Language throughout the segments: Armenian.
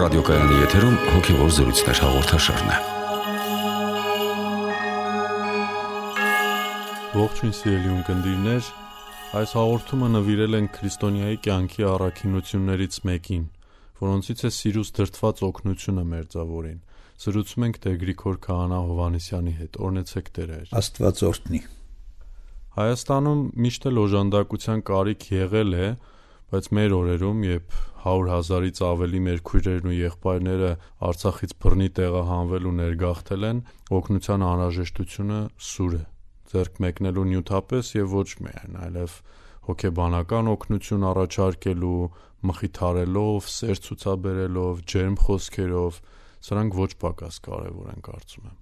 Ռադիոկայանի եթերում հոգևոր զրույցներ հաղորդաշարն է։ Ողջույն սիրելի ունկնդիրներ, այս հաղորդումը նվիրել ենք քրիստոնյայի կյանքի առաքինություններից մեկին, որոնցից է սիրուց դրդված օգնությունը մերձավորին։ Զրուցում ենք Տեր Գրիգոր Քահանա Հովհաննիսյանի հետ։ Օրհնեցեք Տեր։ Աստված օրհնի։ Հայաստանում միշտ էլ օժանդակության կարիք եղել է, բայց մեր օրերում, երբ 100,000-ից ավելի մեր քույրերն ու եղբայրները Արցախից բռնի տեղահանվել ու ներգաղթել են, օգնության անհրաժեշտությունը սուր է, ձեռք մեկնելու նյութապես եւ ոչ միայն, այլև հոգեբանական օգնություն առաջարկելու, մխիթարելով, սեր ցուցաբերելով, ջերմ խոսքերով, սրանք ոչ պակաս կարևոր են, կարծում եմ։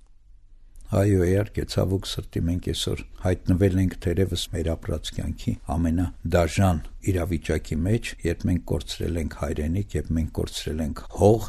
Այո, իհարկե, ցավոք սրտի մենք այսօր հայտնվել ենք թերևս մեր ապրած կյանքի ամենադաժան իրավիճակի մեջ, երբ մենք կորցրել ենք հայրենիք, երբ մենք կորցրել ենք հող,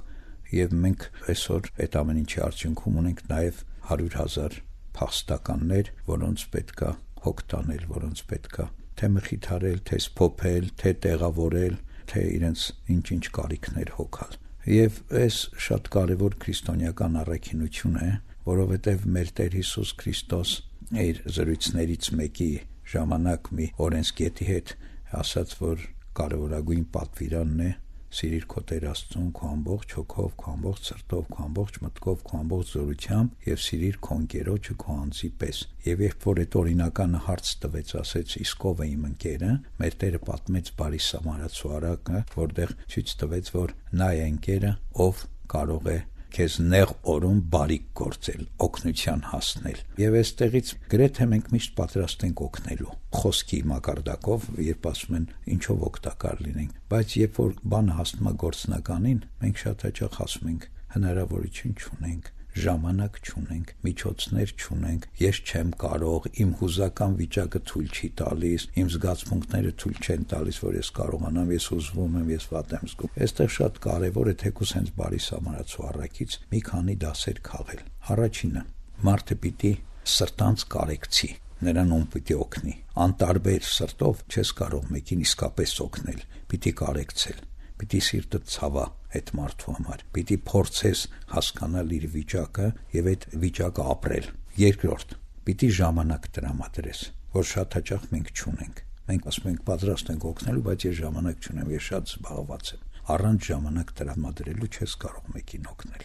եւ մենք այսօր այդ ամեն ինչի արդյունքում ունենք նաեւ 100,000 փախստականներ, որոնց պետքա հոգ տանել, որոնց պետքա թե մխիթարել, թե սփոփել, թե տեղավորել, թե իրենց ինչ-ինչ կարիքներ հոգալ։ Եվ այս շատ կարևոր քրիստոնեական առաքինություն է, որովհետև մեր Տեր Հիսուս Քրիստոս իր զրույցներից մեկի ժամանակ մի օրենսգետի հետ ասաց, որ կարևորագույն պատվիրանն է սիրիր քո Տեր Աստծուն քո ամբողջ հոգով, քո ամբողջ սրտով, քո ամբողջ մտքով, քո ամբողջ զորությամբ եւ սիրիր քո ընկերոջը քո անձի պես։ Եվ երբ որ այդ օրինականը հարց տվեց, ասեց իսկ ով է իմ ընկերը, մեր Տերը պատմեց բարի սամարացու առակը, որտեղ ցույց տվեց, որ նա է ընկերը, ով կարող է քեզ նեղ օրում բարիք գործել, օգնության հասնել։ Եվ այստեղից գրեթե մենք միշտ պատրաստ ենք օգնելու խոսքի մակարդակով, երբ ասում են ինչով օգտակար լինենք, բայց երբ որ բանը հասնում է գործնականին, մենք շատ հաճախ ասում ենք հնարավորություն չունենք, ժամանակ չունենք, միջոցներ չունենք, ես չեմ կարող, իմ հուզական վիճակը թույլ չի տալիս, իմ զգացմունքները թույլ չեն տալիս, որ ես կարողանամ, ես ուզվում եմ, ես վատ եմ զգում։ Այստեղ շատ կարևոր է թեկուզ հենց բարի սամարացու առաքից մի քանի դասեր քաղել։ Առաջինը՝ մարդը պիտի սրտանց կարեկցի, նրան ում պիտի օգնի։ Անտարբեր սրտով չես կարող մեկին իսկապես օգնել, պիտի կարեկցել, պիտի սիրտը ցավա այդ մարդու համար, պիտի փորձես հասկանալ իր վիճակը եւ այդ վիճակը ապրել։ Երկրորդ, պիտի ժամանակ տրամադրես, որ շատ հաճախ մենք չունենք։ Մենք ասում ենք պատրաստ ենք օգնելու, բայց ես ժամանակ չունեմ, ես շատ զբաղված եմ։ Առանց ժամանակ տրամադրելու չես կարող մեկին օգնել։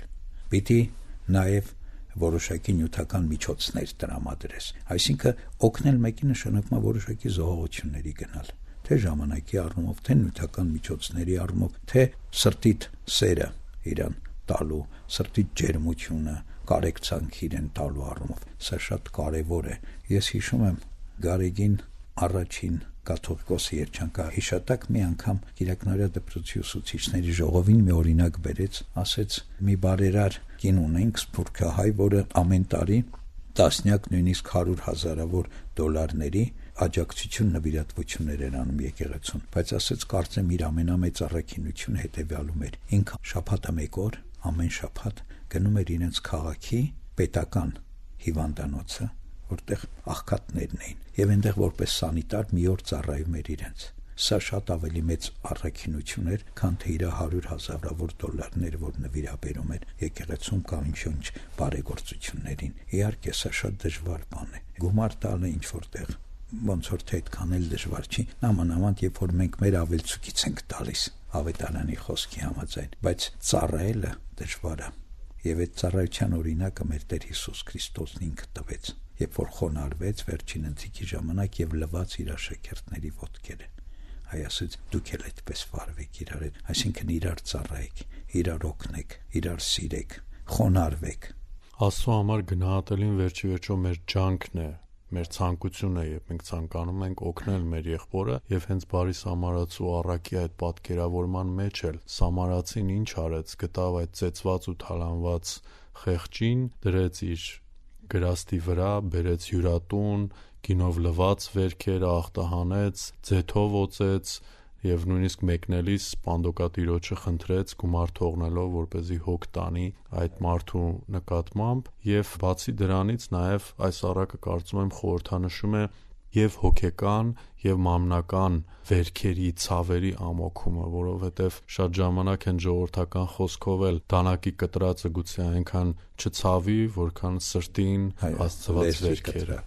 Պիտի նաեւ որոշակի նյութական միջոցներ տրամադրես։ Այսինքն օգնել մեկին նշանակում է որոշակի զոհողությունների գնալ, թե ժամանակի առումով, թե նյութական միջոցների առումով, թե սրտիդ սերը իրան տալու, սրտիդ ջերմությունը, կարեկցանք իրեն տալու առումով։ Սա շատ կարևոր է։ Ես հիշում եմ Գարեգին առաջին կաթողիկոսի երջանկահիշատակ մի անգամ Կիրակնարյա դպրոցի ուսուցիչների ժողովին մի օրինակ բերեց, ասեց մի բարերար կին ունենք, սփյուռքահայ, որը ամեն տարի տասնյակ, նույնիսկ 100,000-ավոր դոլարների աջակցություն նվիրատվություններ էր անում եկեղեցուն, բայց ասեց կարծեմ իր ամենամեծ առաքինությունը հետևյալում էր. ինքը շաբաթը մեկ օր, ամեն շաբաթ գնում էր իրենց քաղաքի պետական հիվանդանոցը, որտեղ աղքատներն էին, եւ այնտեղ որպես սանիտար մի օր ծառայում էր իրենց։ Սա շատ ավելի մեծ առաքինություն էր, քան թե իր 100,000-ավոր դոլարները, որ նվիրաբերում էր եկեղեցում կամ ինչ բարեգործություններին։ Իհարկե, սա շատ դժվար բան է։ Գումար տալը ինչ որտեղ ոնց որ թե այդքան էլ դժվար չի, նամանավանդ երբ որ մենք մեր ավելցուկից ենք տալիս ավետարանի խոսքի համաձայն, բայց ծառայելը դժվար է։ Եվ այդ ծառայության օրինակը մեր Տեր Հիսուս Քրիստոսն ինքը տվեց, երբ որ խոնարհվեց վերջին ընթրիքի ժամանակ եւ լվաց իր աշակերտների ոտքերը։ Հայ ասեց դուք էլ այդպես վարվեք իրար հետ, այսինքն իրար ծառայեք, իրար օգնեք, իրար սիրեք, խոնարհվեք։ Աստծո համար գնահատելին վերջի վերջո մեր ջանքն է, մեր ցանկությունը է, երբ մենք ցանկանում ենք օգնել մեր եղբորը, եւ հենց բարի սամարացու առաքի այդ պատկերավորման մեջ էլ սամարացին ինչ արեց, գտավ այդ ծեծված ու թալանված խեղճին, դրեց իր գրաստի վրա, բերեց հյուրատուն, գինով լված վերքերը ախտահանեց, ձեթով օծեց եւ նույնիսկ մեկնելիս պանդոկատիրոջը խնդրեց գումար թողնելով, որպեսզի հոգ տանի այդ մարդու նկատմամբ, եւ բացի դրանից նաեւ այս առակը կարծում եմ խորհրդանշում է եւ հոգեկան եւ մամնական վերքերի, ցավերի ամոքումը, որովհետեւ շատ ժամանակ են ժողովրդական խոսքով էլ դանակի կտրածը գուցե այնքան չցավի, որքան սրտին աստծված վերքերը։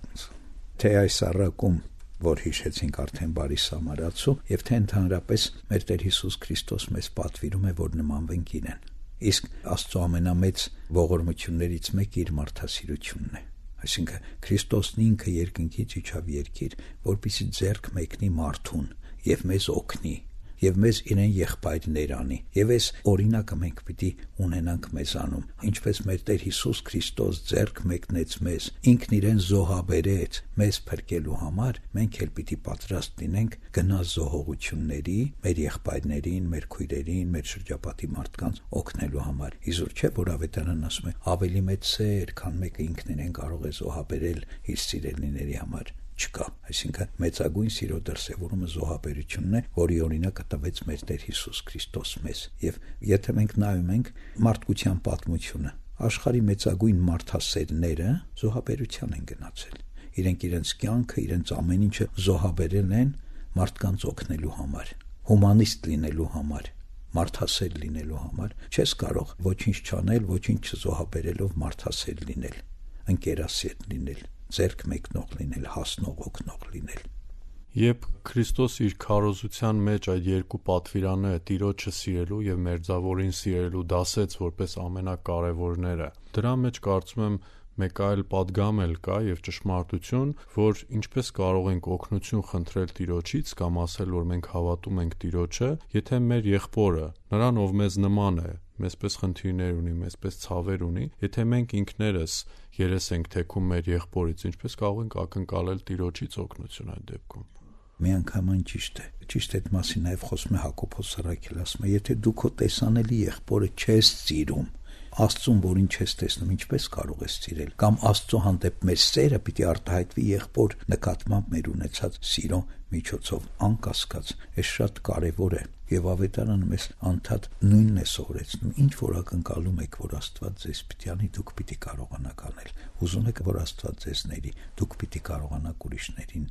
Թե այս առակում, որ հիշեցինք արդեն բարի սամարացու, եւ թե ընդհանրապես մեր Տեր Հիսուս Քրիստոս մեզ պատվիրում է, որ նմանվենք իրեն։ Իսկ Աստծո ամենամեծ ողորմություններից մեկը իր մարդասիրությունն է։ Այսինքն Քրիստոսն ինքը երկնքից իջավ երկիր, որպեսզի ձեռք մեկնի մարդուն եւ մեզ օգնի եւ մեզ իրեն եղբայրներ անի, եւ այս օրինակը մենք պիտի ունենանք մեզանում, ինչպես մեր Տեր Հիսուս Քրիստոս ձեռք մեկնեց մեզ, ինքն իրեն զոհաբերեց մեզ փրկելու համար, մենք էլ պիտի պատրաստ լինենք գնալ զոհողությունների, մեր եղբայրներին, մեր քույրերին, մեր շրջապատի մարդկանց օգնելու համար։ Իզուր չէ, որ ավետարանն ասում է ավելի մեծ սեր, քան մեկը ինքն իրեն կարող է զոհաբերել իր սիրելիների համար, չկա։ Այսինքն մեծագույն սիրո դրսևորումը զոհաբերությունն է, որի օրինակը տվեց մեր Տեր Հիսուս Քրիստոս մեզ։ Եվ եթե մենք նայում ենք մարդկության պատմությունը, աշխարհի մեծագույն մարդասերները զոհաբերության են գնացել։ Իրենք իրենց կյանքը, իրենց ամեն ինչը զոհաբերել են մարդկանց օգնելու համար, հումանիստ լինելու համար, մարդասեր լինելու համար։ Չես կարող ոչինչ չանել, ոչինչ չզոհաբերելով մարդասեր լինել, ընկերասեր լինել, ձեռք մեկնող լինել, հասնող օգնող լինել։ Երբ Քրիստոս իր քարոզության մեջ այդ երկու պատվիրանները՝ Տիրոջը սիրելու եւ մերձավորին սիրելու դասեց որպես ամենակարևորները, դրա մեջ կարծում եմ մեկ այլ պատգամ էլ կա եւ ճշմարտություն, որ ինչպես կարող ենք օգնություն խնդրել Տիրոջից կամ ասել, որ մենք հավատում ենք Տիրոջը, եթե մեր եղբորը, նրան ով մեզ նման է, մեզպես խնդիրներ ունի, մեզպես ցավեր ունի, եթե մենք ինքներս երես ենք թեքում մեր եղբորից, ինչպես կարող ենք ակնկալել Տիրոջից օգնություն այդ դեպքում։ Միանգամայն ճիշտ է։ Ճիշտ է, այդ մասին նաև խոսում է Հակոբոս Սրաքել, ասում է, եթե դու քո տեսանելի եղբորը չես սիրում, Աստծուն, որին չես տեսնում, ինչպես կարող ես սիրել։ Կամ Աստծո հանդեպ մեր սերը պիտի արտահայտվի եղբոր նկատմամբ մեր ունեցած սիրո միջոցով, անկասկած, այս շատ կարևոր է։ Եվ ավետարանը մեզ անդադ նույնն է սովորեցնում, ինչ որ ակնկալում եք, որ Աստված ձեզ պիտի անի, դուք պիտի կարողանաք անել։ Ուզում եք, որ Աստված ձեզ ների, դուք պիտի կարողանաք ուրիշներին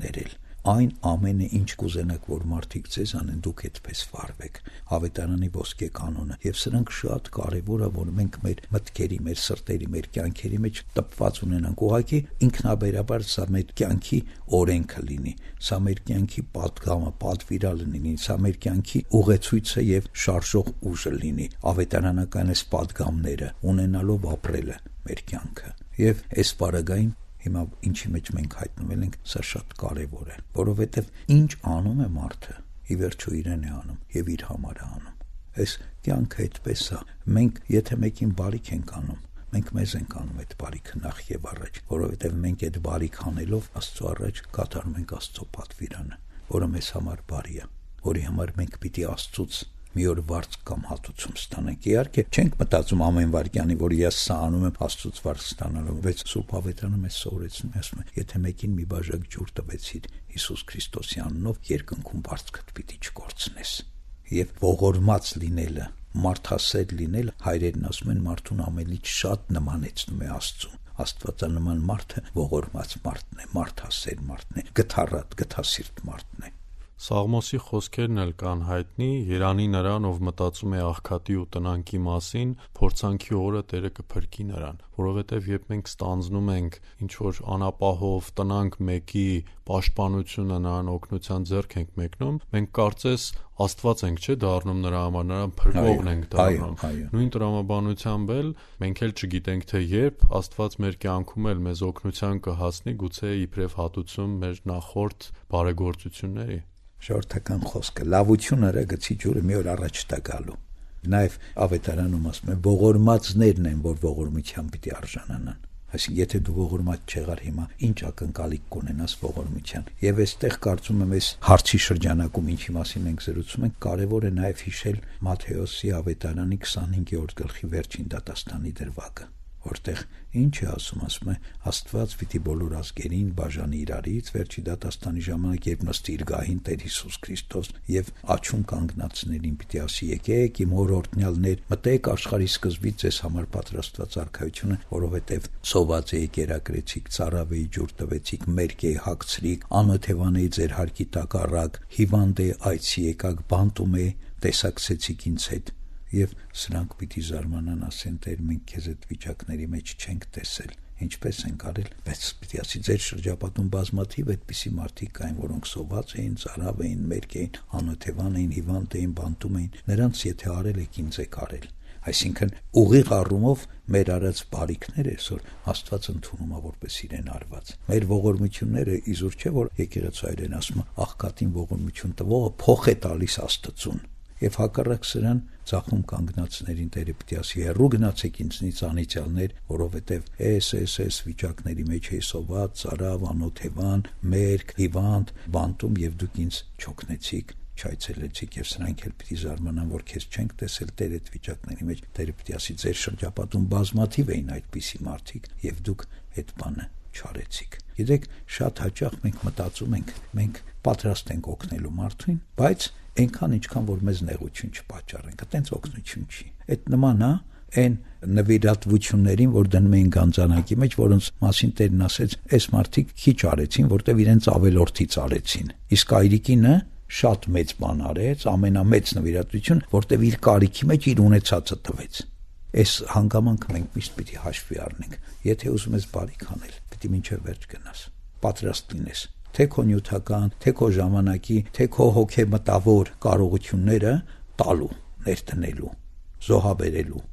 ներել։ Այն ամենը, ինչ կուզենաք, որ մարդիկ ձեզ անեն, դուք այդպես վարվեք։ Ավետարանի ոսկե կանոնը, եւ սրանք շատ կարեւոր է, որ մենք մեր մտքերի, մեր սրտերի, մեր կյանքերի մեջ տպված ունենանք։ Ուղղակի ինքնաբերաբար սա մեր կյանքի օրենքը լինի, սա մեր կյանքի պատգամը, պատվիրալը լինի, սա մեր կյանքի ուղեցույցը եւ շարժող ուժը լինի։ Ավետարանական այս պատգամները ունենալով ապրելը մեր կյանքը։ Եվ այս բaragային հիմա ինչի մեջ մենք հայտնվել ենք, սա շատ կարևոր է, որովհետև ինչ անում է մարդը, ի վերջո իրեն է անում եւ իր համար է անում։ Այս կյանքը այդպես է, մենք եթե մեկին բարիք ենք անում, մենք մեզ ենք անում այդ բարիքը նախ եւ առաջ, որովհետև մենք այդ բարիք անելով Աստծո առաջ կատարում ենք Աստծո պատվիրանը, որը մեզ համար բարի է, որի համար մենք պիտի Աստծուց մի օր վարձ կամ հատուցում ստանանք։ Իհարկե, չենք մտածում ամեն վարքյանի, որ ես սա անում եմ Աստծուց վարձ ստանալու, բայց Սուրբ Ավետարանը մեզ սովորեցնում է, ասում է, եթե մեկին մի բաժակ ջուր տվեցիր Հիսուս Քրիստոսի անունով, երկնքում բարձկդ պիտի չկորցնես։ Եվ ողորմած լինելը, մարդասեր լինելը, հայրերն ասում են, մարդուն ամենից շատ նմանեցնում է Աստծուն։ Աստվածանման մարդը ողորմած մարդն է, մարդասեր մարդն է, գթառատ, գթասիրտ մարդն է։ Սաղմոսի խոսքերն էլ կան հայտնի, երանի նրան, ով մտածում է աղքատի ու տնանքի մասին, փորձանքի օրը Տերը կփրկի նրան, որովհետև երբ մենք ստանձնում ենք ինչ-որ անապահով տնանք մեկի պաշտպանությունը, նրան օգնության ձեռք ենք մեկնում, մենք կարծես Աստված ենք, չէ՞, դառնում նրա համար, նրան փրկողն ենք դառնում։ Նույն տրամաբանությամբ էլ մենք էլ չգիտենք, թե երբ Աստված մեր կյանքում էլ մեզ օգնության կհասնի, գուցե իբրև հատուցում մեր նախորդ բարեգործությունների։ Ժողովրդական խոսքը լավությունը գցի ջուրը մի օր առաջ տա գալու։ Նաև ավետարանում ասում է ողորմածներն են, որ ողորմության պիտի արժանանան։ Այսինքն եթե դու ողորմած չեղար հիմա, ինչ ակնկալիք կունենաս ողորմության։ Եվ այստեղ կարծում եմ այս հարցի շրջանակում ինչի մասին ենք զրուցում ենք, կարևոր է նաև հիշել Մատթեոսի ավետարանի 25-րդ գլխի վերջին դատաստանի դրվագը, որտեղ ինչ է ասում է Աստված պիտի բոլոր ազգերին բաժանի իրարից վերջի դատաստանի ժամանակ, երբ նստի իր գահին Տեր Հիսուս Քրիստոս եւ աչում կանգնածներին պիտի ասի եկեք իմ հոր օրհնյալներ, մտեք աշխարհի սկզբից ձեզ համար պատրաստված արքայությունը, որովհետեւ սոված էի կերակրեցիք, ծարավ էի ջուր տվեցիք, մերկ էի հագցրիք, անօթևան էի ձեր հարկի տակ առաք, հիվանդ էի այցի եկաք, բանտում էի տեսակցեցիք ինձ հետ։ Եվ սրանք պիտի զարմանան, ասեն Տեր, մենք քեզ այդ վիճակների մեջ չենք տեսել, ինչպես ենք արել, բայց պիտի ասի ձեր շրջապատում բազմաթիվ այդպիսի մարդիկ կային, որոնք սոված էին, ծարավ էին, մերկ էին, անօթևան էին, հիվանդ էին, բանտում էին, նրանց եթե արել եք, ինձ եք արել։ Այսինքն ուղիղ առումով մեր արած բարիքները այսօր Աստված ընդունում է որպես իրեն արված։ Մեր ողորմությունները իզուր չէ, որ եկեղեցու այրեն ասում է աղքատին ողորմություն տվողը փոխ է տալիս Աստծուն։ Եվ հակառակ սրան ցախում կանգնածներին Տերը պիտի ասի հեռու գնացեք ինձնից անիծյալներ, որովհետև էս վիճակների մեջ է սոված, ծարավ, անօթևան, մերկ, հիվանդ, բանտում եւ դուք ինձ չօգնեցիք, չայցելեցիք եւ սրանք էլ պիտի զարմանան, որ քեզ չենք տեսել Տեր այդ վիճակների մեջ։ Տերը պիտի ասի ձեր շրջապատում բազմաթիվ էին այդպիսի մարդիկ եւ դուք այդ բանը չարեցիք։ Գիտեք, շատ հաճախ մենք մտածում ենք, մենք պատրաստ ենք օգնելու մարդուն, բայց այնքան ինչքան որ մեզ նեղություն չպատճառենք, այտենց օգնություն չի։ Այդ նման է այն նվիրատվություններին, որ դնում էին գանձանակի մեջ, որոնց մասին Տերն ասեց, այս մարդիկ քիչ արեցին, որտեվ իրենց ավելորդից արեցին։ Իսկ այրիկինը շատ մեծ բան արեց, ամենամեծ նվիրատվություն, որտեվ իր կարիքի մեջ իր ունեցածը տվեց։ Այս հանգամանքը մենք միշտ պիտի հաշվի առնենք։ Եթե ուզում ես բարիք անել, պիտի մինչև վերջ գնաս, պատրաստ լինես, թե քո նյութական, թե քո ժամանակի, թե քո հոգեմտավոր կարողությունները տալու, ներտնելու, զոհաբերելու։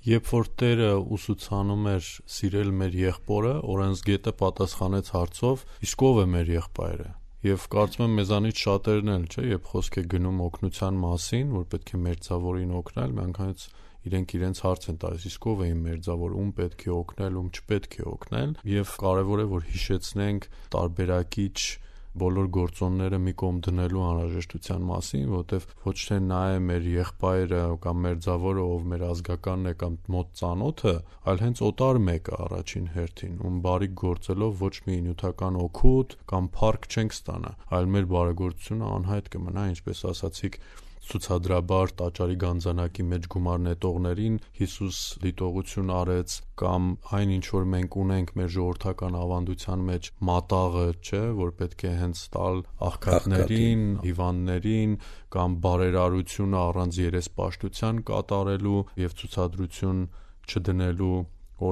Երբ որ Տերը ուսուցանում էր սիրել մեր եղբորը, օրենսգետը պատասխանեց հարցով. իսկ ով է մեր եղբայրը։ Եվ կարծում եմ մեզանից շատերն էլ, չէ, երբ խոսք է գնում օգնության մասին, որ պետք է մերձավորին օգնել, միանգամից իրենք իրենց հարց են տալիս, իսկ ով է իմ մերձավոր, ում պետք է օգնել, ում չպետք է օգնել, եւ կարեւոր է որ հիշեցնենք տարբերակիչ բոլոր գործոնները մի կողմ դնելու անհրաժեշտության մասին, որովհետեւ ոչ թե նա է մեր եղբայրը կամ մերձավորը, ով մեր ազգականն է կամ մոտ ծանոթը, այլ հենց օտար մեկը առաջին հերթին, ում բարիք գործելով ոչ մի նյութական օգուտ կամ փառք չենք ստանա, այլ մեր բարեգործությունը անհայտ կմնա, ինչպես ասացիք, ցուցադրաբար տաճարի գանձանակի մեջ գումար նետողներին Հիսուս դիտողություն արեց, կամ այն ինչ որ մենք ունենք մեր ժողովրդական ավանդության մեջ մատաղը, չէ, որ պետք է հենց տալ աղքատներին, հիվանդներին, կամ բարերարությունը առանց երեսպաշտության կատարելու եւ ցուցադրություն չդնելու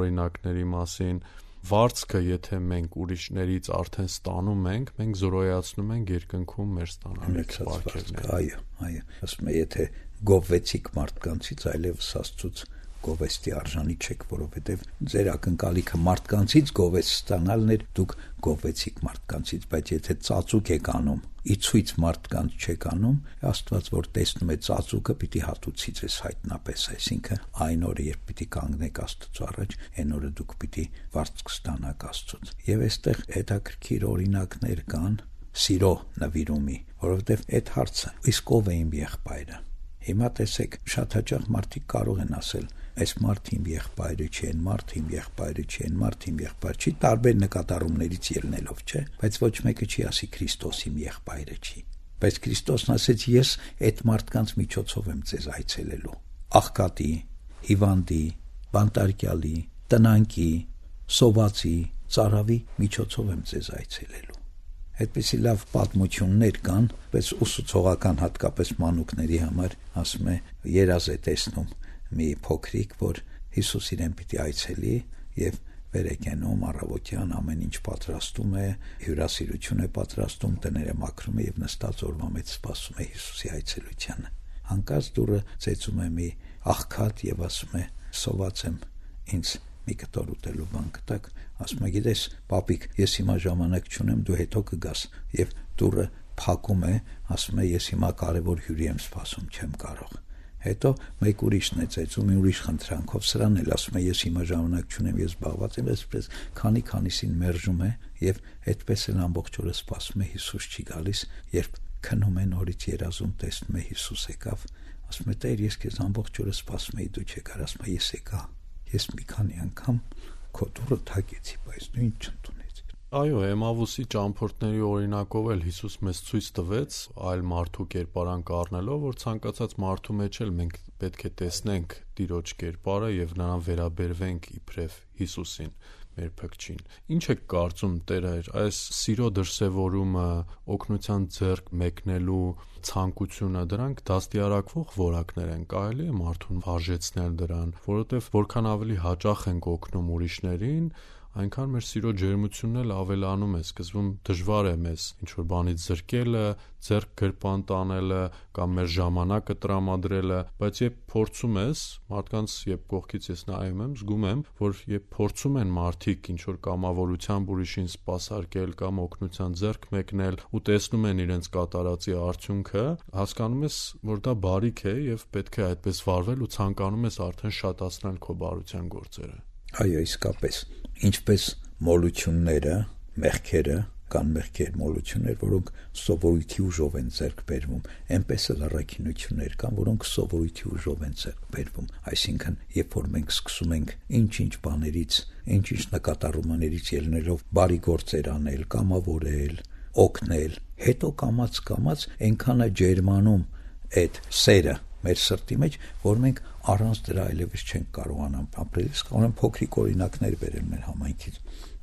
օրինակների մասին։ Վարձքը, եթե մենք ուրիշներից արդեն ստանում ենք, մենք զորոյացնում ենք երկնքում մեր ստանալիք բարքերները։ Այո, ասում եմ, եթե գովվեցիք մարդկանցից, այլևս Աստծուց գովեստի արժանի չեք, որովհետև ձեր ակնկալիքը մարդկանցից գովես ստանալն էր, դուք գովվեցիք մարդկանցից, բայց եթե ծածուկ եք անում, իցույց մարդկանց չեք անում, Աստված որ տեսնում է ծածուկը, պիտի հատուցի ձեզ հայտնապես, այսինքն այն օրը, երբ պիտի կանգնեք Աստծո առաջ, այն օրը դուք պիտի վարձ կստանաք Աստծուց։ Եվ այստեղ հետաքրքիր օրինակներ կան սիրո նվիրումի, որովհետև այդ հարցը իսկ ով է իմ եղբայրը։ Հիմա տեսեք, շատ հաճախ մարդիկ կարող են ասել, այս մարդը իմ եղբայրը չի, այն մարդը իմ եղբայրը չի, այն մարդը իմ եղբայրը չի, տարբեր նկատառումներից ելնելով, չէ, բայց ոչ մեկը չի ասի Քրիստոս իմ եղբայրը չի։ Բայց Քրիստոսն ասեց, ես այդ մարդկանց միջոցով եմ ձեզ այցելելու։ Աղքատի, հիվանդի, բանտարկյալի, տնանկի, սովածի, ծարավի միջոցով եմ ձեզ այցելելու։ Այդպիսի լավ պատմություններ կան, բայց ուսուցողական հատկապես մանուկների համար, ասում է, երազ է տեսնում մի փոքրիկ, որ Հիսուս իրեն պիտի այցելի եւ վեր է կենում առավոտյան, ամեն ինչ պատրաստում է, հյուրասիրություն է պատրաստում, տները մաքրում է եւ նստած օրվա մեջ սպասում է Հիսուսի այցելությանը։ Հանկարծ դուրը ծեծում է մի աղքատ եւ ասում է, սոված եմ, ինձ մի կտոր ուտելու բան կտակ, ասում է, գիտես, պապիկ, ես հիմա ժամանակ չունեմ, դու հետո կգաս, եւ դուրը փակում է, ասում է, ես հիմա կարևոր հյուրի եմ սպասում, չեմ կարող։ Հետո մեկ ուրիշն է ծեծում, ուրիշ խնդրանքով, սրան էլ ասում է, ես հիմա ժամանակ չունեմ, ես զբաղված եմ, այսպես քանիսին մերժում է եւ այդպես էլ ամբողջ օրը սպասում է, Հիսուս չի գալիս, երբ քնում է նորից երազում, տեսնում է Հիսուս եկավ, ասում է, Տեր, ես քեզ ամբողջ օրը սպասում էի, դու չեկար, ասում է, ես եկա։ ես մի քանի անգամ քո դուրը թակեցի, բայց դու ինձ չընդունեցիր։ Այո, Էմավուսի ճամփորդների օրինակով էլ Հիսուս մեզ ցույց տվեց այլ մարդու կերպարանք առնելով, որ ցանկացած մարդու մեջ էլ մենք պետք է տեսնենք Տիրոջ կերպարը եւ նրան վերաբերվենք իբրև Հիսուսին, մեր փրկչին։ Ինչ եք կարծում, Տեր, այս սիրո դրսևորումը, օգնության ձեռք մեկնելու ցանկությունը, դրանք դաստիարակվող որակներ են, կարելի է մարդուն վարժեցնել դրան, որովհետեւ որքան ավելի հաճախ ենք օգնում ուրիշներին, այնքան մեր սիրո ջերմությունն էլ ավելանում է, սկզբում դժվար է մեզ ինչ-որ բանից զրկելը, ձեռք գրպան տանելը կամ մեր ժամանակը տրամադրելը, բայց երբ փորձում ես, մարդկանց երբ կողքից ես նայում եմ, զգում եմ, որ երբ փորձում են մարդիկ ինչ-որ կամավորությամբ ուրիշին սպասարկել կամ օգնության ձեռք մեկնել ու տեսնում են իրենց կատարածի արդյունքը, հասկանում ես, որ դա բարիք է եւ պետք է այդպես վարվել ու ցանկանում ես արդեն շատացնել քո բարության գործերը։ Այո, իսկապես, ինչպես մոլությունները, մեղքերը, կան մեղքեր, մոլություններ, որոնք սովորույթի ուժով են ձեռք բերվում, այնպես էլ առաքինություններ կան, որոնք սովորույթի ուժով են ձեռք բերվում, այսինքն, երբ որ մենք սկսում ենք ինչ-ինչ բաներից, ինչ-ինչ նկատառումներից ելնելով բարի գործեր անել, կամավորել, օգնել, հետո կամաց այնքան է ջերմանում այդ սերը մեր սրտի մեջ, որ մենք առանց դրա այլևս չենք կարողանա ապրել։ Իսկ ունեմ փոքրիկ օրինակներ բերել մեր համայնքից։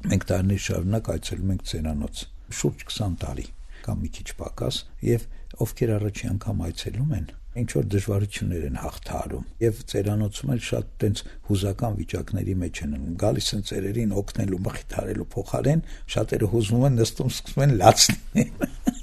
Մենք տարիներ շարունակ այցելում ենք ծերանոց, շուրջ 20 տարի կամ մի քիչ պակաս, եւ ովքեր առաջի անգամ այցելում են, ինչ որ դժվարություններ են հաղթահարում, եւ ծերանոցում էլ շատ տենց հուզական վիճակների մեջ են ընկնում, գալիս են ծերերին օգնելու, մխիթարելու փոխարեն, շատերը հուզվում են, նստում, սկսում են լացնել։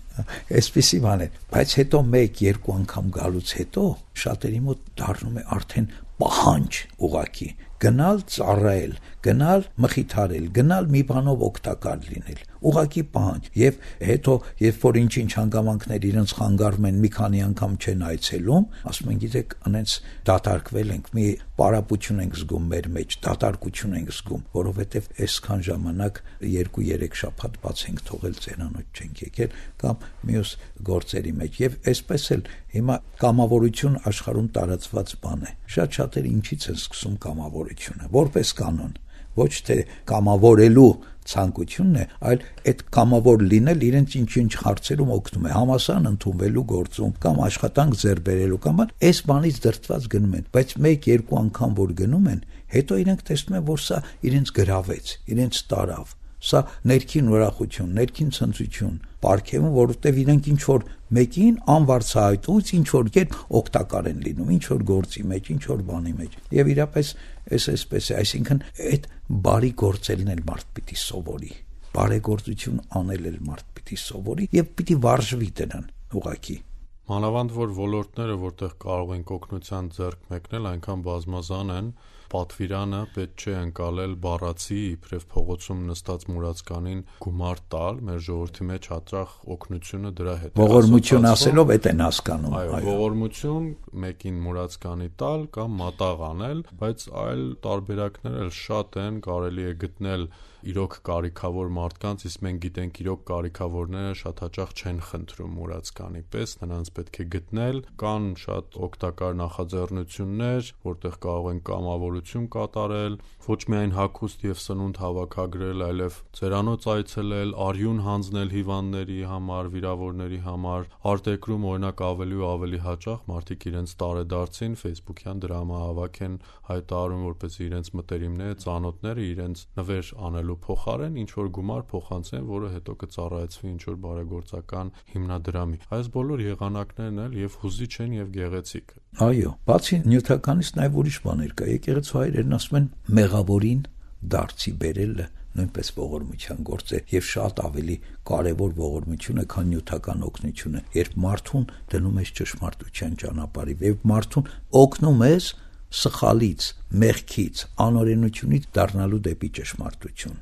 Այսպիսի բան է, բայց հետո 1-2 անգամ գալուց հետո շատերի մոտ դառնում է արդեն պահանջ ուղակի գնալ ծառայել, գնալ մխիթարել, գնալ մի բանով օգտակար լինել, ուղակի պահանջ։ Եվ հետո երբ որ ինչ-ինչ հանգամանքներ իրենց խանգարում են, մի քանի անգամ չեն այցելում, ասում են, գիտեք, անենց դատարկվել ենք, մի պարապություն ենք զգում մեր մեջ, դատարկություն ենք զգում, որովհետև այսքան ժամանակ 2-3 շաբաթ բաց ենք թողել, ծերանոց չենք եկել կամ մյուս գործերի մեջ։ Եվ այսպես էլ հիմա կամավորություն աշխարհում տարածված բան է։ Շատ շատերը ինչից են սկսում կամավորությունը, որպես կանոն, ոչ թե կամավորելու ցանկությունն է, այլ այդ կամավոր լինել իրենց ինչ-ինչ հարցերում օգնում է, համասարան ընդունվելու գործում կամ աշխատանք ձեռք բերելու կամ այս բանից դրդված գնում են, բայց 1-2 անգամ որ գնում են, հետո իրենք տեսնում են, որ սա իրենց գրավեց, իրենց տարավ, սա ներքին ուրախություն, ներքին ցնծություն, պարգևում, որովհետև իրենք ինչ որ մեկին անվարձահայտուց ինչ որ կերպ օգտակար են լինում, ինչ որ գործի մեջ, ինչ որ բանի մեջ։ Եվ իրապես այսպես է, այսինքն այդ բարի գործելն էլ մարդ պիտի սովորի, բարեգործություն անել էլ մարդ պիտի սովորի եւ պիտի վարժվի դրան ուղակի։ Մանավանդ որ ոլորտները, որտեղ կարող ենք օգնության ձեռք մեկնել, այնքան բազմազան են, պատվիրանը պետք չէ ընկալել բառացի իբրև փողոցում նստած մուրացկանին գումար տալ, մեր ժողովրդի մեջ հաճախ օգնությունը դրա հետ է։ Ողորմություն ասելով այդ են հասկանում։ Այո, ողորմություն մեկին մուրացկանի տալ կամ մատաղ անել, բայց այլ տարբերակներ էլ շատ են, կարելի է գտնել իրոք կարիքավոր մարդկանց, իսկ մենք գիտենք իրոք կարիքավորները շատ հաճախ չեն խնդրում մուրացկանի պես, նրանց պետք է գտնել, կան շատ օգտակար նախաձեռնություններ, որտեղ կարող են կամավորություն կատարել, ոչ միայն հագուստ եւ սնունդ հավաքագրել, այլև ծերանոց այցելել, արյուն հանձնել հիվանդների համար, վիրավորների համար, արտերկրում օրինակ ավելի ու ավելի հաճախ մարդիկ իրենց տարեդարձին Facebook-յան դրամահավաք են հայտարարում, որպեսզի իրենց մտերիմները, ծանոթները իրենց նվեր անելու փոխարեն ինչ որ գումար փոխանցեն, որը հետո կծառայեցվի ինչ որ բարեգործական հիմնադրամի։ Այս բոլոր եղանակներն էլ եւ հուզիչ են եւ գեղեցիկ։ Այո, բացի նյութականից նաեւ ուրիշ բաներ կա։ Եկեղեցու հայրերն ասում են մեղավորին դարձի բերելը նույնպես ողորմության գործ է եւ շատ ավելի կարեւոր ողորմություն է, քան նյութական օգնությունը, երբ մարդուն դնում ես ճշմարտության ճանապարհի, երբ մարդուն օգնում ես սխալից, մեղքից, անօրենությունից դառնալու դեպի ճշմարտություն,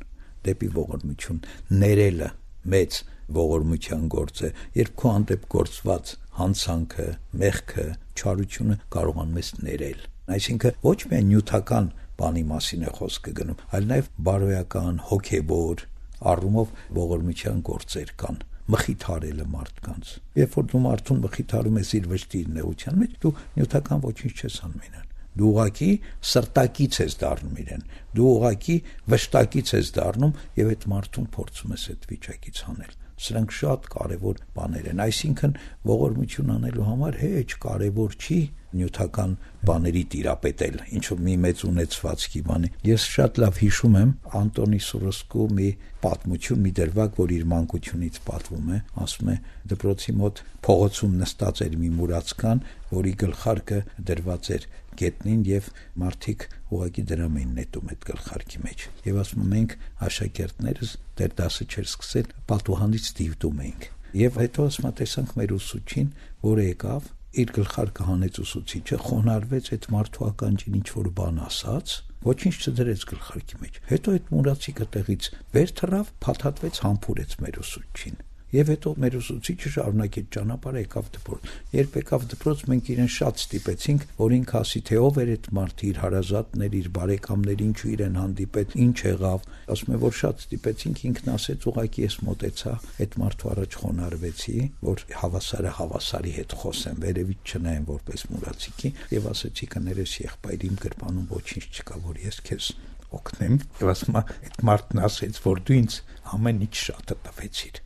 դեպի ողորմություն, ներելը մեծ ողորմության գործ է, երբ քո հանդեպ գործված հանցանքը, մեղքը, չարությունը կարողանում ես ներել։ Այսինքն ոչ միայն նյութական բանի մասին է խոսքը գնում, այլ նաև բարոյական, հոգեվոր առումով ողորմության գործեր կան, մխիթարելը մարդկանց։ Երբ որ դու մարդուն մխիթարում ես իր վշտի նեղության մեջ, դու նյութական ոչինչ չես անում իրան, Դու ուղղակի սրտակից ես դառնում իրեն, դու ուղղակի վշտակից ես դառնում եւ այդ մարդուն փորձում ես այդ վիճակից հանել։ Սրանք շատ կարևոր բաներ են, այսինքն ողորմություն անելու համար հեչ կարևոր չի նյութական բաների տիրապետել, ինչ-որ մի մեծ ունեցվածքի բանի։ Ես շատ լավ հիշում եմ Անտոնի Սուրոսկու մի պատմություն, մի դրվագ, որ իր մանկությունից պատվում է, ասում է դպրոցի մոտ փողոցում նստած էր մի մուրացկան, որի գլխարկը դրված էր գետնին եւ մարդիկ ուղակի դրամ էին նետում այդ գլխարկի մեջ։ Եվ ասում մենք աշակերտներս դեռ դասը չէր սկսել, պատուհանից դիվդում էինք։ Եվ հետո ասում տեսանք մեր ուսուցչին, որը եկավ իր գլխարկը հանեց ուսուցիչը, խոնարհվեց այդ մարդու ականջին ինչ որ բան ասաց, ոչինչ չդրեց գլխարկի մեջ։ Հետո այդ մուրացիկը տեղից վեր թռավ, փաթաթվեց, համբուրեց մեր ուսուցչին։ Եվ հետո մեր ուսուցիչը շարունակեց ճանապարհը, եկավ դպրոց։ Երբ եկավ դպրոց, մենք իրեն շատ ստիպեցինք, որ ինքը ասի, թե ով էր այդ մարդը, իր հարազատներ, իր բարեկամներ, ինչու իրեն հանդիպեց, ինչ եղավ։ Ասում է, որ շատ ստիպեցինք, ինքն ասեց, ուղղակի ես մոտեցա, այդ մարդու առաջ խոնարհվեցի, որ հավասարը հավասարի հետ խոսեմ, վերևից չնայեմ որպես մուրացիկի, եւ ասեցի, կներես եղբայր, իմ գրպանում ոչինչ չկա, որ ես քեզ օգնեմ։ Եվ ասում է, այդ մարդն ասեց, որ դու ինձ ամեն ինչ շատը տվեցիր։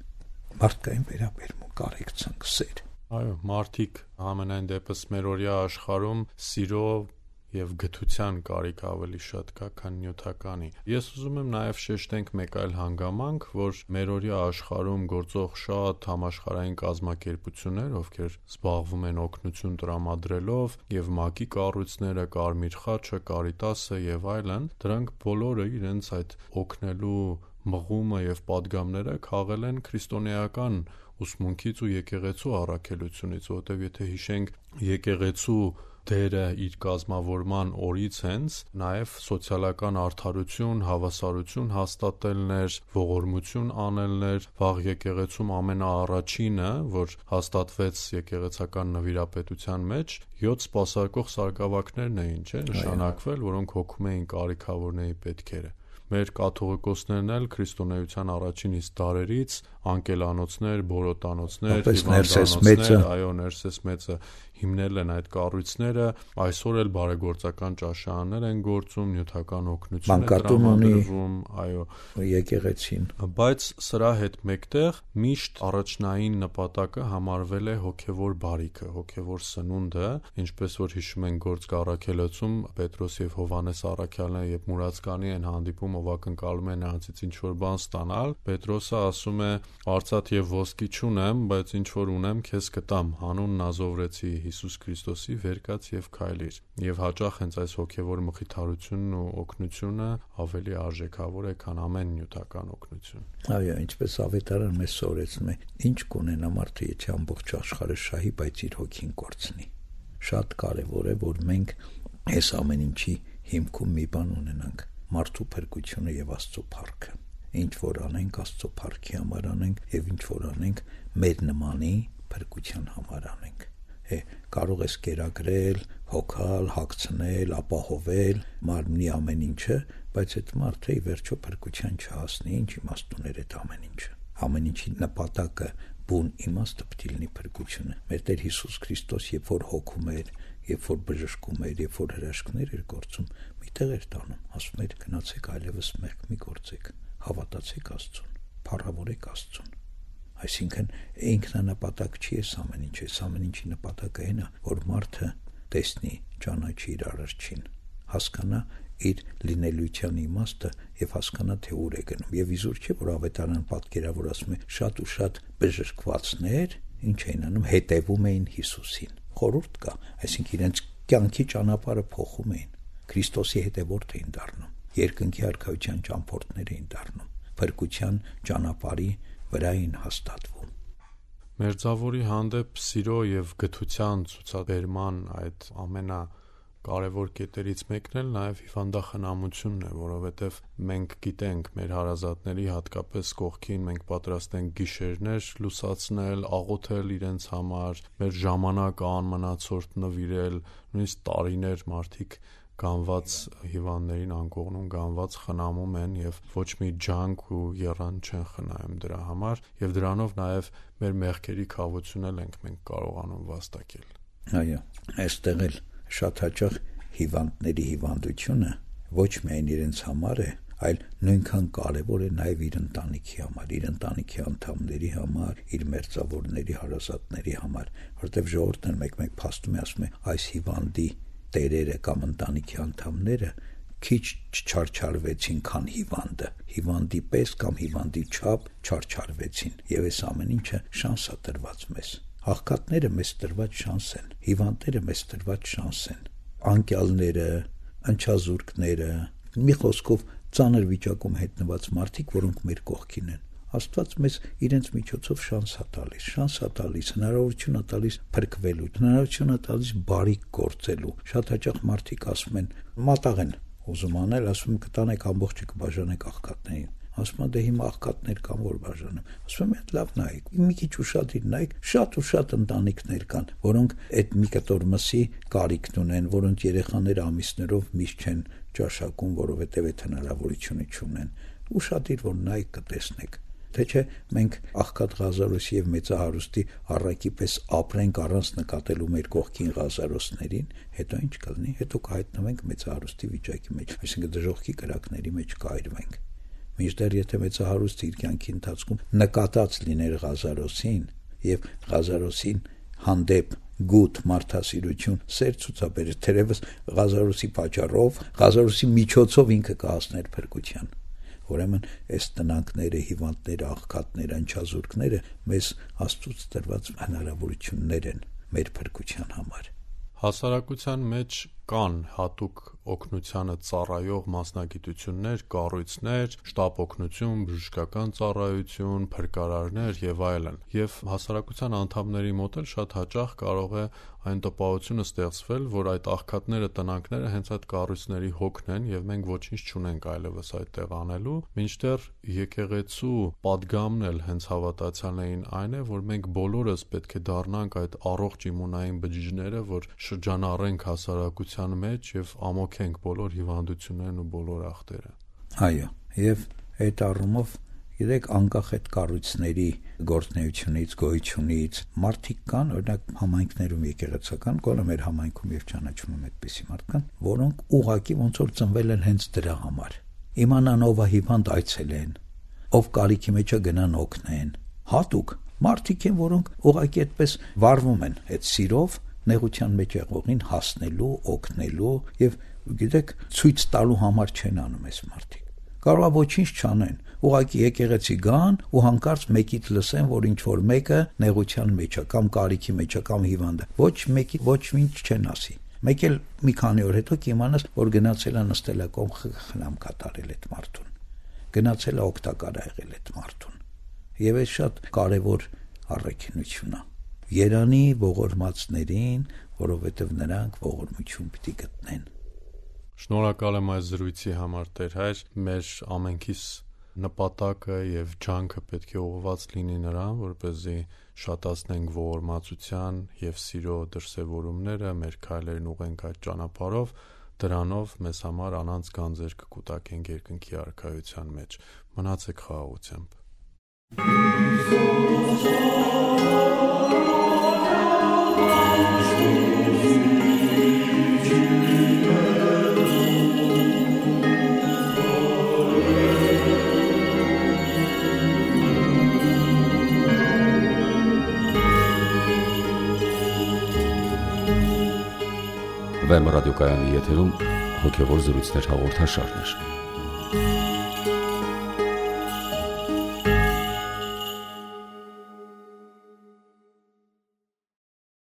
Մարդկային վերաբերմունք, կարեկցանք, սեր։ Այո, մարդիկ ամենայն դեպս մերօրյա աշխարհում սիրո եւ գթության կարիք ավելի շատ կա, քան նյութականի։ Ես ուզում եմ նաեւ շեշտենք մեկ այլ հանգամանք, որ մերօրյա աշխարհում գործող շատ համաշխարհային կազմակերպություններ, ովքեր զբաղվում են օգնություն տրամադրելով, եւ ՄԱԿ-ի կառույցները, Կարմիր խաչը, Կարիտասը եւ այլն, դրանք բոլորը իրենց այդ օգնելու մղումը եւ падգամները քաղել են քրիստոնեական ուսմունքից ու եկեղեցու առաքելությունից, որտեղ եթե հիշենք եկեղեցու դերը իր կազմավորման օրից հենց նաև սոցիալական արդարություն, հավասարություն հաստատելն էր, ողորմություն անելն էր, վաղ եկեղեցում ամենաառաջինը, որ հաստատվեց եկեղեցական նվիրապետության մեջ, 7 սպասարկող սարգսակներն էին, չէ՞, նշանակվել, որոնք հոգում էին կարիքավորների պետքերը։ Մեր կաթողիկոսներն էլ քրիստոնեության առաջին իսկ դարերից անկելանոցներ, բորոտանոցներ, հիվանդանոցներ, այո, Ներսես մեծը հիմնել են այդ կառույցները, այսօր էլ բարեգործական ճաշարաններ են գործում, նյութական օգնություն է տրամադրվում, այո, եկեղեցին։ Բայց սրա հետ մեկտեղ միշտ առաջնային նպատակը համարվել է հոգևոր բարիքը, հոգևոր սնունդը, ինչպես որ հիշում են գործք առաքելոցում Պետրոս եւ Հովհաննես առաքյալները երբ մուրացկանի են հանդիպում, ով ակնկալում է նրանցից ինչ որ բան ստանալ, Պետրոսը ասում է. «Արծաթ եւ ոսկի չունեմ, բայց ինչ որ ունեմ, քեզ կտամ, հանուն Նազովրեցի Հիսուս Քրիստոսի, վեր կաց եւ քայլիր»։ Եվ հաճախ հենց այս հոգևոր մխիթարությունն ու օգնությունը ավելի արժեքավոր է, քան ամեն նյութական օգնություն։ Այո, ինչպես ավետարան մեզ սովորեցնում է, ինչ կունենա մարդը, եթե ամբողջ աշխարհը շահի, բայց իր հոգին կորցնի։ Շատ կարեւոր է, որ մենք այս ամեն ինչի հիմքում մի բան ունենանք՝ մարդու փրկությունը եւ Աստծո փառքը։ Ինչ որ անենք, Աստծո փառքի համար անենք եւ ինչ որ անենք, մեր նմանի փրկության համար անենք։ Կարող ես կերակրել, հոգալ, հագցնել, ապահովել մարմնի ամեն ինչը, բայց այդ մարդը ի վերջո փրկության չհասնի, ինչ իմաստուն է այդ ամեն ինչը։ Ամեն ինչի նպատակը, բուն իմաստը պետք է լինի փրկությունը։ Մեր Տեր Հիսուս Քրիստոս երբ որ հոգում էր, երբ որ բժշկում էր, երբ որ հրաշքներ էր գործում, միտեղ էր տանում, ասում էր գնացեք այլևս մեղք մի գործեք, հավատացեք Աստծուն, փառավորեք Աստծուն։ Այսինքն ինքնանպատակ չի այս ամեն ինչ, այս ամեն ինչի նպատակը այն է, որ մարդը տեսնի, ճանաչի իր Արարչին, հասկանա իր լինելիության իմաստը եւ հասկանա թե ուր է գնում։ Եվ իզուր չէ, որ ավետարան պատկերավոր ասում է շատ ու շատ բժշկվածներ ինչ էին անում, հետևում էին Հիսուսին։ Խորհուրդ կա, այսինքն իրենց կյանքի ճանապարհը փոխում էին, Քրիստոսի հետևորդ էին դառնում, երկնքի արքայության ճամփորդներ էին դառնում, փրկության ճանապարհի վրա էին հաստատվում։ Մերձավորի հանդեպ սիրո եւ գթության ցուցաբերման այդ ամենակարևոր կետերից մեկն էլ նաեւ հիվանդախնամությունն է, որովհետեւ մենք գիտենք մեր հարազատների հատկապես կողքին մենք պատրաստ ենք գիշերներ լուսացնել, աղոթել իրենց համար, մեր ժամանակը անմնացորդ նվիրել, նույնիսկ տարիներ մարդիկ գանված հիվանդներին անկողնում գանված խնամում են եւ ոչ մի ջանք ու եռան չեն խնայում դրա համար եւ դրանով նաեւ մեր մեղքերի քավությունն ենք մենք կարողանում վաստակել։ Այո, այստեղ էլ շատ հաճախ հիվանդների հիվանդությունը ոչ միայն իրենց համար է, այլ նույնքան կարևոր է նաև իր ընտանիքի համար, իր ընտանիքի անդամների համար, իր մերձավորների, հարազատների համար, որտեղ ժողովուրդն մեկ-մեկ փաստում է, ասում է, այս հիվանդի տերերը կամ ընտանիքի անդամները քիչ չչարչարվեցին, քան հիվանդը, հիվանդի պես կամ հիվանդի չափ չարչարվեցին, եւ այս ամեն ինչը շանս է տրված մեզ։ Աղքատները մեզ տրված շանս են, հիվանդները մեզ տրված շանս են, անկյալները, ընչազուրկները, մի խոսքով ծանր վիճակում հայտնված մարդիկ, որոնք մեր կողքին են, Աստված մեզ իրենց միջոցով շանս է տալիս, հնարավորություն է տալիս փրկվելու, հնարավորություն է տալիս բարիք գործելու։ Շատ հաճախ մարդիկ ասում են, մատաղ են ուզում անել, ասում են կտանեք ամբողջը կբաժանեք աղքատներին։ Ասում են դե հիմա աղքատներ կան, որ բաժանեմ։ Ասում եմ լավ նայեք, մի քիչ ուշադիր նայեք, շատ ընտանիքներ կան, որոնք այդ մի կտոր մսի կարիքն ունեն, որոնց երեխաները ամիսներով միշտ չեն ճաշակում, որովհետև այդ հնարավորությունը չունեն։ Ուշադիր որ նայեք կտեսնեք։ Թե չէ մենք աղքատ Ղազարոսի եւ մեծահարուստի առակի պես ապրենք առանց նկատելու մեր կողքին Ղազարոսներին, հետո ինչ կլինի, հետո կհայտնվենք մեծահարուստի վիճակի մեջ, այսինքն դժոխքի կրակների մեջ կայրվենք։ Մինչդեռ եթե մեծահարուստը իր կյանքի ընթացքում նկատած լիներ Ղազարոսին եւ Ղազարոսին հանդեպ գութ մարդասիրություն սեր ցուցաբերեր, թերևս Ղազարոսի պատճառով, Ղազարոսի միջոցով ինքը կհասներ փրկության։ Ուրեմն այս տնանքները, հիվանդները, աղքատները, ընչազուրկները մեզ Աստծուց տրված հնարավորություններ են մեր փրկության համար։ Հասարակության մեջ կան հատուկ օգնությանը ծառայող մասնագիտություններ, կառույցներ, շտապ օգնություն, բժշկական ծառայություն, փրկարարներ եւ այլն։ Եվ հասարակության անդամների մոտ էլ շատ հաճախ կարող է այն տպավորությունը ստեղծվել, որ այդ աղքատները, տնանքները հենց այդ կառույցների հոգն են եւ մենք ոչինչ չունենք այլևս այդտեղ անելու, մինչդեռ եկեղեցու պատգամն էլ հենց հավատացյալներին այն է, որ մենք բոլորս պետք է դառնանք այդ առողջ իմունային բջիջները, որ շրջանառենք հասարակության մեջ եւ ամոքենք բոլոր հիվանդություններն ու բոլոր ախտերը։ Այո, եւ այդ առումով Գիտեք, անկախ այդ կառույցների գործունեությունից, գոյությունից, մարդիկ կան, օրինակ համայնքներում եկեղեցական, գոնե մեր համայնքում եւ ճանաչում եմ այդպիսի մարդկանց, որոնք ուղղակի ոնց որ ծնվել են հենց դրա համար։ Իմանան ով է հիվանդ այցելեն, ով կարիքի մեջ է գնան օգնեն։ Հատուկ մարդիկ են, որոնք ուղղակի այդպես վարվում են այդ սիրով, նեղության մեջ եղողին հասնելու, օգնելու եւ գիտեք, ցույց տալու համար չեն անում այս մարդիկ։ Կարող է ոչինչ չանեն, ուղղակի եկեղեցի գան ու հանկարծ մեկից լսեն, որ ինչ որ մեկը նեղության մեջ է կամ կարիքի մեջ է կամ հիվանդ է։ Ոչ մեկի ոչ ինչ չեն ասի։ Մեկ էլ մի քանի օր հետո կիմանաս, որ գնացել է նստել է կողմ խնամ կատարել այդ մարդուն։ Գնացել է օգտակար եղել այդ մարդուն։ Եվ այս շատ կարևոր առաքինություն է։ Երանի ողորմածներին, որովհետև նրանք ողորմություն պիտի գտնեն։ Շնորհակալ եմ այս զրույցի համար, Տեր Հայր, մեր ամենքիս նպատակը եւ ջանքը պետք է ուղղված լինի նրան, որպեսզի շատացնենք ողորմածության եւ սիրո դրսեւորումները, մեր քայլերն ուղենք այդ ճանապարհով, դրանով մեզ համար անանց գանձեր կկուտակենք երկնքի արքայության մեջ։ Մնացեք խաղաղությամբ։ Վեմ ռադիոկայանի եթերում հոգևոր զրույցներ հաղորդաշարներ։